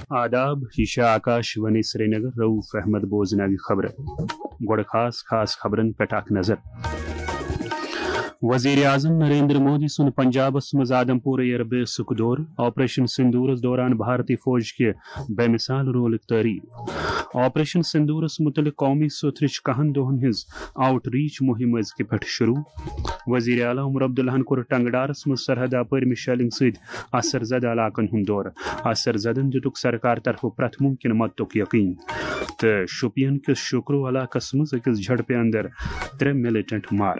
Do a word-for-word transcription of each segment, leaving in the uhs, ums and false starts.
آداب، یہِ چھِ آکاش وانی سرینگر۔ رؤف احمد بوزناوِ خبرٕ۔ گۄڈٕ خاص خاص خبرن پٮ۪ٹھ اکھ نظر۔ وزیر اعظم نریندر مودی سُنٛد پنجابس منٛز آدم پور ایئر بیسُک دورٕ، آپریشن سندورس دوران بھارتی فوج کہِ بے مثال رولٕک تعریف۔ آپریشن سندورس متعلق قومی سوتھرٕچ کہن دۄہن ہٕنٛز آؤٹ ریچ مُہِم أزکہِ پٮ۪ٹھ شروع۔ وزیر اعلیٰ عمر عبداللہن کوٚر ٹنگڈارس منٛز سرحد اپٲرۍ مےٚ شیلنگ سۭتۍ اثر زدٕ علاقن ہُنٛد دورٕ۔ اثر زدن دِتُکھ سرکار طرفہٕ پرٛٮ۪تھ مُمکِن مدتُک یقین۔ تہٕ شوپین کِس شوکرو علاقس منٛز أکِس جھڑپہِ اندر ترٛےٚ ملیٹنٹ مارٕ۔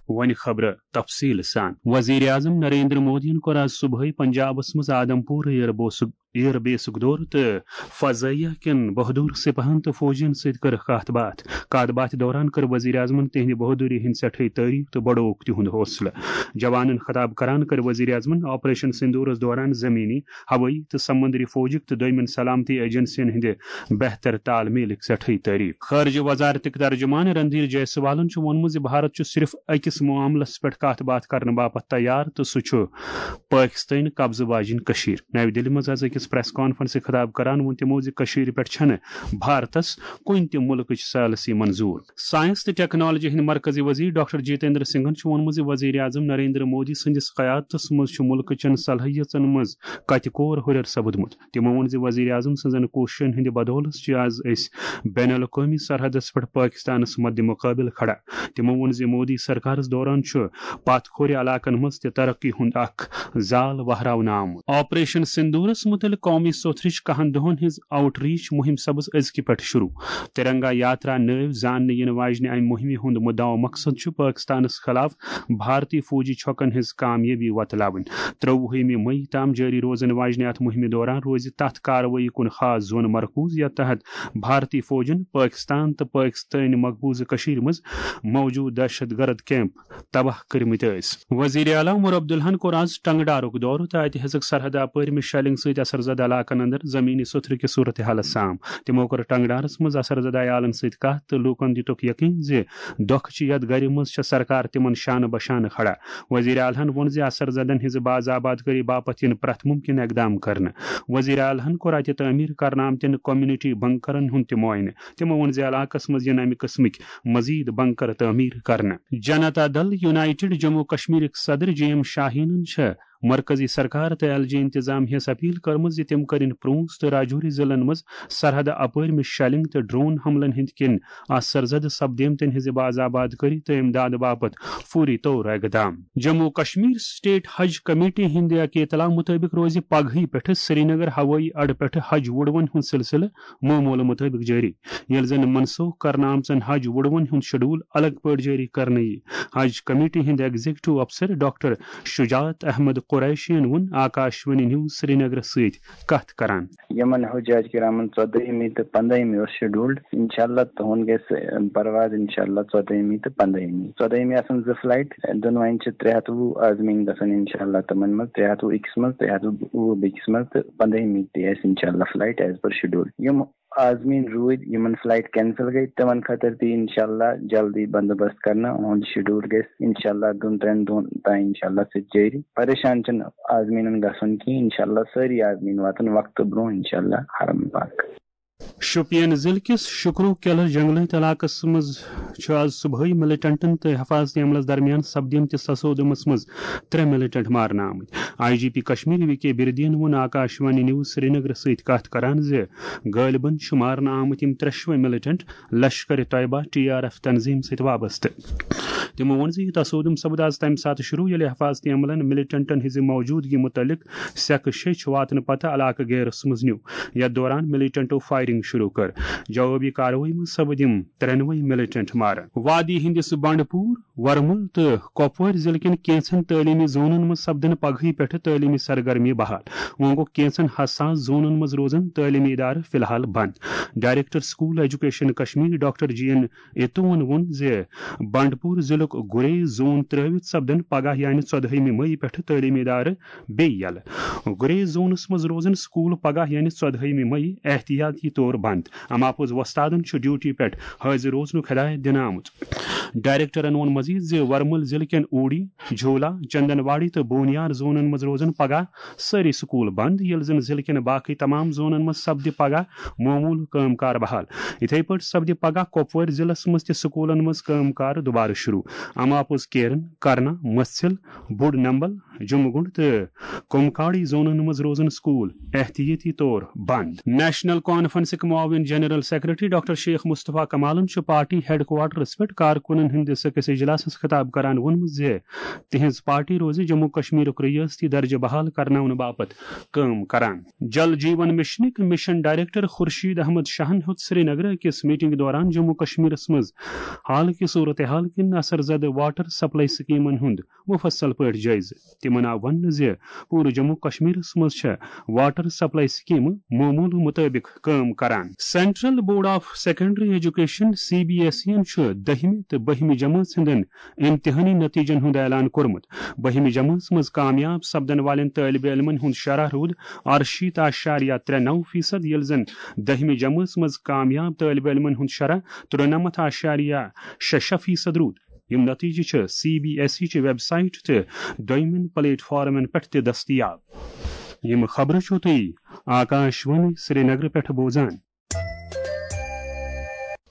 وۄنۍ خبرٕ تفصیل سان۔ وزیر اعظم نریندر مودیَن کوٚر آز صبحٲے پنجابس منٛز آدم پور ایئر بوسُک ایئر بیسُک دورٕ تہٕ فضائیہ کٮ۪ن بہادر سپاہن تہٕ فوجین سۭتۍ کٔر کتھ باتھ۔ کتھ باتھِ دوران کٔر وزیر اعظمن تِہنٛدِ بہادری ہٕنٛز سٮ۪ٹھے تعریف تہٕ بڑووُکھ تِہُنٛد حوصلہٕ۔ جوانن خطاب کران کٔر وزیر اعظمن آپریشن سندورس دوران زمینی، ہوٲیی تہٕ سمندری فوجٕک تہٕ دوٚیمٮ۪ن سلامتی ایجنسین ہٕنٛدِ بہتر تال میلٕکۍ سٮ۪ٹھے تعریف۔ خارجہ وزارتٕکۍ ترجمان رندھیر جے سوالن چھُ ووٚنمُت زِ بھارت چھُ صرف أکِس معاملس پٮ۪ٹھ کتھ باتھ کرنہٕ باپتھ تیار تہٕ سُہ چھُ پٲکستٲنۍ قبضہٕ واجِنۍ کٔشیٖر۔ نَوِ دِلہِ منٛز آز أکِس پریس کانفرنسہِ خطاب کران ووٚن تِمو زِ کٔشیٖرِ پٮ۪ٹھ چھَنہٕ بھارتس کُنہِ تہِ مُلکٕچ ثالثی منظوٗر۔ ساینس تہٕ ٹیکنالوجی ہٕنٛدۍ مرکزی وزیر ڈاکٹر جتیندر سنگھن چھُ ووٚنمُت زِ وزیر اعظم نریندر مودی سٕنٛدِس قیادتس منٛز چھُ مُلکہٕ چٮ۪ن صلٲحیژن منٛز کتہِ کور ہُرٮ۪ر سپُدمُت۔ تِمو ووٚن زِ وزیر اعظم سٕنٛزن کوٗششن ہٕنٛدِ بدولہٕ چھِ آز أسۍ بین الاقوٲمی سرحدس پٮ۪ٹھ پٲکستانس مدِ مقابل کھڑا۔ تِمو ووٚن زِ مودی سرکارس دوران چھُ پتھ کھورِ علاقن منٛز تہِ ترقی ہُنٛد اکھ زال وہراونہٕ آمُت۔ آپریشن سندورس متعلق قومی سوتھرٕچ کہن دۄہن ہٕنٛز آؤٹ ریچ مُہِم سپٕز أزکہِ پٮ۪ٹھ شروع۔ ترنگا یاترا نٲوۍ زاننہٕ یِنہٕ واجنہِ امہِ مُہِمہِ ہُنٛد مُدعا و مقصد چھُ پٲکستانس خلاف بھارتی فوجی چھۄکن ہٕنٛز کامیٲبی وۄتلاوٕنۍ۔ ترٛۆوُہمہِ مئی تام جٲری روزن واجنہِ اتھ مُہِمہِ دوران روزِ تتھ کاروٲیی کُن خاص زون مرکوز، یتھ تحت بھارتی فوجن پٲکستان تہٕ پٲکستٲنۍ مقبوضہٕ کٔشیٖرِ منٛز موجود دہشت گرد کیمپ تباہ کٔرمٕتۍ ٲسۍ۔ وزیر اعلیٰ عمر عبداللہن کوٚر آز ٹنگڈارُک دورٕ تہٕ اتہِ ہیٚژٕکھ سرحد اپٲرۍ مےٚ شیلنگ سۭتۍ اثر زدٕ علاقن اندر زمینی سوٚتھرٕ کہِ صورتحالس سام۔ تِمو کٔر ٹنگڈارس منٛز اثر زدٕ عیالن سۭتۍ کتھ تہٕ لوٗکن دِتُکھ یقین زِ دۄکھٕ چہِ یتھ گرِ منٛز چھےٚ سرکار تِمن شانہٕ بشانہٕ کھڑا۔ وزیر اعلیٰ ہن ووٚن زِ اثر زدن ہٕنٛزِ باز آباد کٲری باپتھ یِن پرٛٮ۪تھ مُمکِن اقدام کرنہٕ۔ وزیر اعلیٰ ہن کوٚر اتہِ تعمیٖر کرنہٕ آمتٮ۪ن کمیونٹی بنکرن ہُنٛد تہِ معائنہٕ۔ تِمو ووٚن زِ علاقس منٛز یِن امہِ قٕسمٕکۍ مزید بنکر تعمیٖر کرنہٕ۔ جنتا دل یونائیٹڈ جموں کشمیرٕکۍ صدر جے ایم شاہینن چھےٚ مرکزی سرکار تہٕ ایل جے انتظامیہس اپیل کٔرمٕژ زِ تِم کٔرِن پونچھ تہٕ راجوری ضلعن منٛز سرحد اپٲرۍ مےٚ شیلنگ تہٕ ڈرون حملن ہٕنٛدۍ کِنۍ اثر زدٕ سپدیمتٮ۪ن ہٕنٛزِ باز آباد کٲری تہٕ امداد باپتھ فوری طور اقدام۔ جموں کشمیر اسٹیٹ حج کمیٹی ہٕنٛدِ اکھ اطلاع مُطٲبِق روزِ پگہٕے پٮ۪ٹھٕ سرینگر ہوٲیی اڈٕ پٮ۪ٹھٕ حج وُڈوَن ہُنٛد سلسلہٕ معموٗلہٕ مُطٲبِق جٲری، ییٚلہِ زن منسوخ کرنہٕ آمژن حج وُڈوَن ہُنٛد شیڈول الگ پٲٹھۍ جٲری کرنہٕ یِیہِ۔ حج کمیٹی ہٕنٛدۍ ایگزیکٹو افسر ڈاکٹر شجاعت احمد قریشین ووٚن آکاشوانی نیوز سرینگرس سۭتۍ کتھ کران۔ یِمن حجاج کرامن ژۄدٲہمہِ تہٕ پنٛدٲہمہِ اوس شیڈولڈ۔ انشاءاللہ تُہُنٛد گژھِ پرواز انشاءاللہ ژۄدٲہمہِ تہٕ پنٛدٲہمہِ۔ ژۄدٲہمہِ آسن زٕ فلایٹ، دۄنوَے چھِ ترٛےٚ ہَتھ وُہ آزمین گژھن انشاءاللہ تِمن منٛز، ترٛےٚ ہَتھ وُہ أکِس منٛز، ترٛےٚ ہَتھ وُہ بیٚکِس منٛز تہٕ پنٛدٲہمہِ تہِ آسہِ انشاءاللہ فلایٹ as per schedule۔ یِم آزمین روٗدۍ، یِمن فلایٹ کینسل گٔے، تِمن خٲطرٕ تہِ انشاءاللہ جلدی بندوبست کرنہٕ۔ اُہُنٛد شیڈول گژھِ انشاءاللہ دۄن ترٛٮ۪ن دۄہن تام انشاءاللہ سُہ تہِ جٲری۔ پریشان چھِنہٕ آزمیٖنن گژھُن کینٛہہ، انشاءاللہ سٲری آزمیٖن واتن وقتہٕ برونٛہہ انشاءاللہ حرم پاک۔ شوپین ضلعہٕ کِس شکرو کیلس جنگلٲتۍ علاقس منٛز چھُ آز صبحٲے ملیٹنٹن تہٕ حفاظتی عملس درمیان سپدیمتِس تصادمس منٛز ترٛےٚ ملیٹنٹ مارنہٕ آمٕتۍ۔ I G P Kashmir V K بردین ووٚن آکاشوانی نیوز سرینگرس سۭتۍ کتھ کران زِ غٲلبن چھِ مارنہٕ آمٕتۍ یِم ترٛٮ۪شوَے militant Lashkar Taiba, T R F تنظیم سۭتۍ وابستہٕ۔ تِمو ووٚن زِ یہِ تصادم سپُد آز تَمہِ ساتہٕ شروع، ییٚلہِ حفاظتی عملن ملیٹنٹن ہٕنٛزِ موجودگی مُتعلق سیٚکہٕ شیٚچھ واتنہٕ پتہٕ علاقہٕ گیرس منٛز نیوٗ۔ یَتھ دوران ملیٹنٹو فائرنگ شروع کٔر۔ جوابی کاروٲیی منٛز سپٕدۍ یِم ترٛٮ۪نوَے ملیٹنٹ مارٕ۔ وادی ہٕنٛدِس بنڈپور، ورمُل تہٕ کۄپوٲرۍ ضلعہٕ کٮ۪ن کینٛژن تعلیمی زونن منٛز سپدن پگہٕے پٮ۪ٹھٕ تعلیمی سرگرمی بحال۔ وۄنۍ گوٚو کینٛژن حساس زونن منٛز روزن تعلیمی ادارٕ فی الحال بند۔ Director school education Kashmir doctor G N اتوَن ووٚن زِ بنڈپور ضلعُک گرے زون ترٲوِتھ سپدن پگاہ یعنی ژۄدہٲیمہِ مئی پٮ۪ٹھٕ تعلیمی ادارٕ بیٚیہِ یلہٕ۔ گرے زونس منٛز روزن سکول پگاہ یعنی ژۄدہٲیمہِ مئی احتیاطی طور بند۔ اما پوٚز وۄستادن چھُ ڈیوٹی پٮ۪ٹھ حٲضِر روزنُک ہدایت دِنہٕ آمُت۔ ڈائریکٹرن ووٚن مزید زِ ورمُل ضلعہٕ کٮ۪ن اوڑی، جھولا، چندن واڑی تہٕ بونیار زونن منٛز روزن پگاہ سٲری سکول بند، ییٚلہِ زن ضلعہٕ کٮ۪ن باقٕے تمام زونن منٛز سپدِ پگاہ معموٗل کٲم کار بحال۔ یِتھے پٲٹھۍ سپدِ پگاہ کۄپوٲرۍ ضلعس منٛز تہِ سکولن منٛز کٲم کار دُبارٕ شروع۔ اما پوٚز کیرن، کرنا، مژھِل، بوٚڑ نمبل، جمگنڈ تہٕ کمکاڑی زونن منٛز روزن سکول احتیاطی طور بند۔ نیشنل کانفرنسٕکۍ معاون جنرل سیکرٹری ڈاکٹر شیخ مصطفیٰ کمالن چھُ پارٹی ہیڈ کوارٹرس پٮ۪ٹھ کارکُنن ہٕنٛدِس أکِس اجلاسس خطاب کران ووٚنمُت زِ تِہنٛز پارٹی روزِ جموں کشمیرُک ریاستی درجہٕ بحال کرناونہٕ باپتھ کٲم کران۔ جل جیون مشنٕکۍ مشن ڈائریکٹر خورشید احمد شاہن ہیوٚت سری نگر أکِس میٹنگ دوران جموں کشمیرس منٛز حال کہِ صورتحال کِنۍ اثر زدٕ واٹر سپلائی سکیمن ہُنٛد مفصل پٲٹھۍ جٲیزٕ۔ تِمن آو وننہٕ زِ پوٗرٕ جموں کشمیرس منٛز چھےٚ واٹر سپلائی سکیمہٕ معموٗلہٕ مُطٲبِق کٲم کران۔ Central board of secondary education, C B S E یَن چھُ دٔہمہِ تہٕ بٔہمہِ جمٲژ ہٕنٛدٮ۪ن امتحٲنی نتیجن ہُنٛد اعلان کوٚرمُت۔ بٔہمہِ جمٲژ منٛز کامیاب سپدن والٮ۪ن طٲلبہِ علمن ہُنٛد شرح روٗد ارشیٖتھ اعشاریہ ترٛےٚ نَو فیصد، ییٚلہِ زن دٔہمہِ جمٲژ منٛز کامیاب طٲلبہِ علمن ہُنٛد شرح ترٛنَمتھ اعشاریہ شےٚ شےٚ فیصد روٗد۔ یِم نتیجہٕ چھِ سی بی ایس ای چہِ ویب سائٹ تہٕ دوٚیمٮ۪ن پلیٹ فارمن پٮ۪ٹھ تہِ دٔستیاب۔ یِم خبرٕ چھِو تُہۍ آکاش وانی سرینگرٕ پٮ۪ٹھ بوزان۔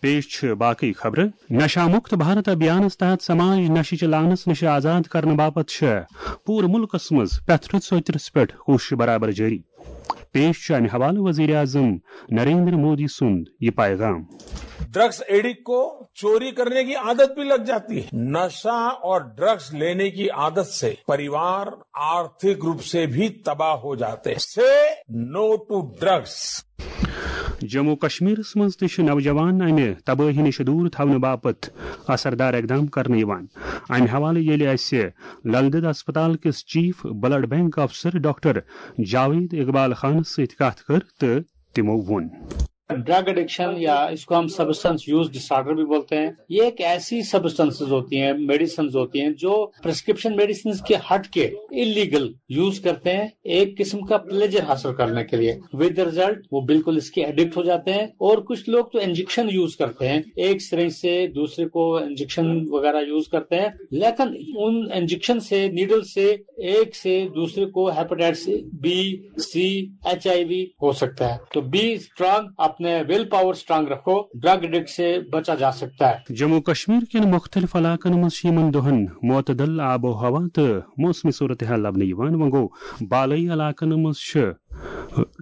پیش چھِ باقٕے خبرٕ۔ نشہ مکت بھارت ابھیانس تحت سماج نشہٕ چہِ لعنس نِش آزاد کرنہٕ باپتھ چھِ پوٗرٕ مُلکس منٛز پرٛٮ۪تھ رٕژ ژوترِس پٮ۪ٹھ کوٗشش برابر جٲری۔ پیش چھُ امہِ حوالہٕ وزیر اعظم نریندر مودی سُنٛد یہِ پیغام۔ ड्रग्स एडिक्ट को चोरी करने की आदत भी लग जाती है। नशा और ड्रग्स लेने की आदत से परिवार आर्थिक रूप से भी तबाह हो जाते हैं। Say no to drugs। Jammu کشمیرس منٛز تہِ چھِ نوجوان امہِ تبٲہی نِش دوٗر تھاونہٕ باپتھ اثردار اقدام کرنہٕ یِوان۔ امہِ حوالہٕ ییٚلہِ اسہِ لل دٮ۪د اسپتال کِس چیف بلڈ بینک افسر ڈاکٹر جاوید اقبال خانس سۭتۍ کتھ کٔر تہٕ تِمو ووٚن۔ ड्रग एडिक्शन या इसको हम सब्सटेंस यूज डिसऑर्डर भी बोलते हैं। ये एक ऐसी सब्सटेंसेस होती हैं, मेडिसिन होती हैं जो प्रिस्क्रिप्शन मेडिसिन के हट के इलीगल यूज करते हैं एक किस्म का प्लेजर हासिल करने के लिए। विद रिजल्ट वो बिल्कुल इसके एडिक्ट हो जाते हैं। और कुछ लोग तो इंजेक्शन यूज करते हैं, एक सिरिंज से दूसरे को इंजेक्शन वगैरह यूज करते हैं, लेकिन उन इंजेक्शन से, नीडल से एक से दूसरे को हेपेटाइटिस बी, सी, एचआईवी हो सकता है। तो बी स्ट्रांग, अपने विल पावर स्ट्रांग रखो, ड्रग एडिक्ट से बचा जा सकता है। جموں کشمیر کٮ۪ن مُختٔلِف علاقن منٛز چھِ یِمن دۄہن معتدل آب و ہوا تہٕ موسمی صورتحال لبنہٕ یِوان۔ وۄنۍ گوٚو، بالٲیی علاقن منٛز چھِ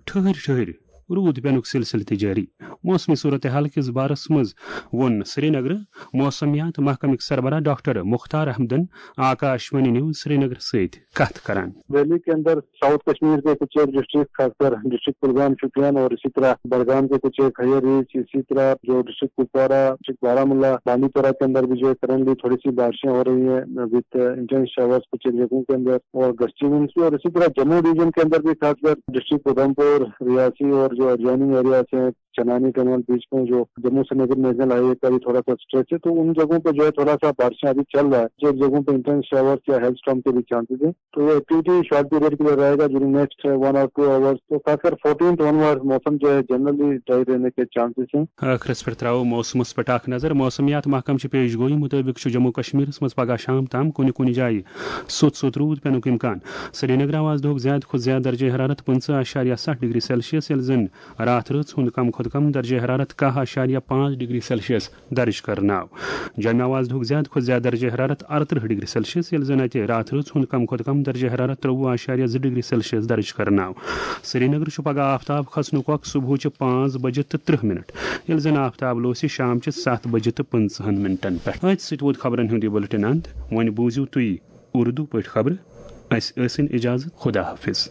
ٹھٔہرۍ ٹھٔہرۍ روٗد پینُک سلسلہٕ تہِ جٲری۔ موسمی صورتحال کِس بارس منٛز ووٚن سرینگرٕ موسمیات محکمٕکۍ سربراہ ڈاکٹر مختار احمدن آکاش وانی نیوز سرینگر سۭتۍ کتھ کران۔ ویلی کے اندر ساؤتھ کشمیر کے کچھ ایک ڈسٹرکٹ، خاص کر ڈسٹرکٹ کلگام، شوپیان اور اسی طرح بڑگام کے کچھ ایک ہائیر رینج، اسی طرح جو ڈسٹرکٹ کپوارہ، ڈسٹرکٹ بارہ ملا، بانڈی پورہ کے اندر بھی جو ہے کرنٹلی تھوڑی سی بارشیں ہو رہی ہیں وتھ انٹینس شاورز کچھ ایک جگہوں کے اندر اور گسٹی ونڈز بھی، اور اسی طرح جموں ریجن کے اندر بھی خاص کر ڈسٹرکٹ ادھمپور، ریاسی اور جو ایڈجوائننگ ایریاز ہیں، چنانی ٹنل بیچ میں جو جموں سرینگر نیشنل ہائی وے کا بھی تھوڑا سا اسٹریچ ہے، تو ان جگہوں پہ جو ہے تھوڑا سا بارشیں ابھی چل رہا ہے، جو جگہوں پہ انٹینس شاورز یا ہیل اسٹارم کے بھی چانسز ہیں۔ تو یہ ایکٹیویٹی شارٹ پیریڈ کے لیے رہے گا، ڈیورنگ نیکسٹ ون اور ٹو آورز۔ تو خاص کر فورٹینتھ آن ورڈ موسم جو ہے جنرلی ڈرائی رہنے کے چانسز ہیں۔ ٲخرس پٮ۪ٹھ ترٛاوو موسمس پٮ۪ٹھ اکھ نظر۔ موسمیات محکمہٕ چہِ پیش گویی مُطٲبِق چھُ جموں کشمیرس منٛز پگاہ شام تام کُنہِ کُنہِ جایہِ سوٚت سوٚت روٗد پینُک امکان۔ سرینگر آو آز دۄہُک زیادٕ کھۄتہٕ زیادٕ درجہ حرارت پٕنٛژٕہ اعشاریہ ستھ ڈگری سیلسیس، ییٚلہِ زن راتھ رٲژ ہُنٛد کم کھۄتہٕ کم درجہ حرارت کاہ اعشاریہ پانٛژھ ڈگری سیلسیس درج کرنہٕ آو۔ جوٚمہِ آو آز دۄہُک زیادٕ کھۄتہٕ زیادٕ درجہ حرارت ارترٕہ ڈگری سیلسیس، ییٚلہِ زن اتہِ راتھ رٲژ ہُنٛد کم کھۄتہٕ کم درجہ حرارت ترٛوٚوُہ اعشاریہ زٕ ڈگری سیلسیس درج کرنہٕ آو۔ سرینگر چھُ پگاہ آفتاب کھسنُک وقت صبحٕچہِ پانٛژھ بجہِ تہٕ ترٕٛہ منٹ، ییٚلہِ زن آفتاب لوسہِ شامچہِ ستھ بجہِ تہٕ پٕنٛژٕہن منٹن پٮ۪ٹھ۔ أتھۍ سۭتۍ ووت خبرن ہُنٛد یہِ بُلٹن اند۔ وۄنۍ بوٗزِو تُہۍ اردو پٲٹھۍ خبرٕ۔ اسہِ ٲسِن اجازت۔ خدا حافظ۔